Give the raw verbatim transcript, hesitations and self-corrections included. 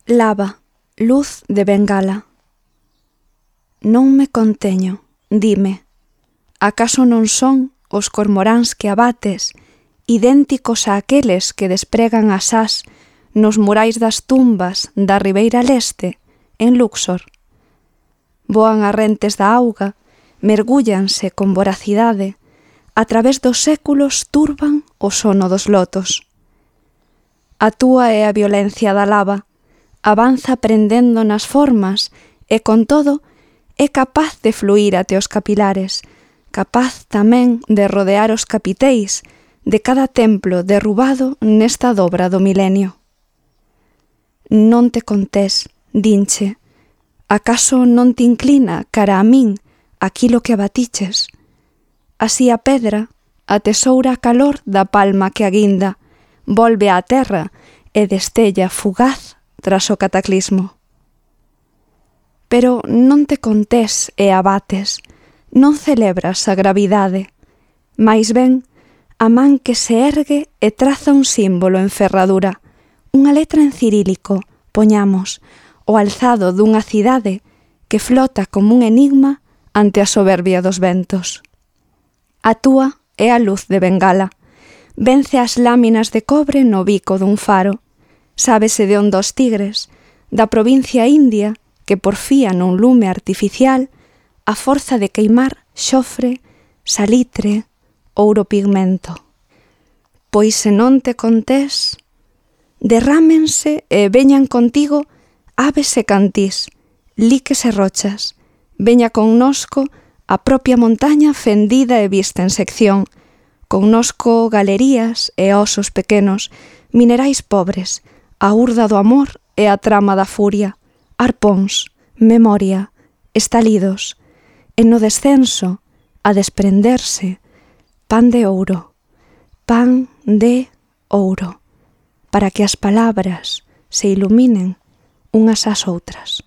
Lava, luz de bengala. Non me conteño, dime, acaso non son os cormoráns que abates, idénticos a aqueles que despregan as ás nos murais das tumbas da Ribeira Leste, en Luxor? Voan a rentes da auga, mergúllanse con voracidade, a través dos séculos turban o sono dos lotos. A túa é a violencia da lava, avanza prendendo nas formas e, con todo, é capaz de fluir até os capilares, capaz tamén de rodear os capiteis de cada templo derrubado nesta dobra do milenio. Non te contés, dinche, acaso non te inclina cara a min aquilo que abatiches? Así a pedra atesoura a calor da palma que aguinda, volve á terra e destella fugaz tras o cataclismo. Pero non te contés e abates, non celebras a gravidade, mais ben a man que se ergue e traza un símbolo en ferradura, unha letra en cirílico, poñamos, o alzado dunha cidade que flota como un enigma ante a soberbia dos ventos. A túa é a luz de bengala, vence as láminas de cobre no bico dun faro, sábese de onde os tigres, da provincia india, que porfía nun lume artificial a forza de queimar xofre, salitre, ouro pigmento. Pois se non te contés, derrámense e veñan contigo aves e cantís, liques e rochas, veña connosco a propia montaña fendida e vista en sección, connosco galerías e osos pequenos, minerais pobres, a urda do amor e a trama da furia, arpóns, memoria, estalidos, e no descenso, a desprenderse, pan de ouro, pan de ouro, para que as palabras se iluminen unhas ás outras.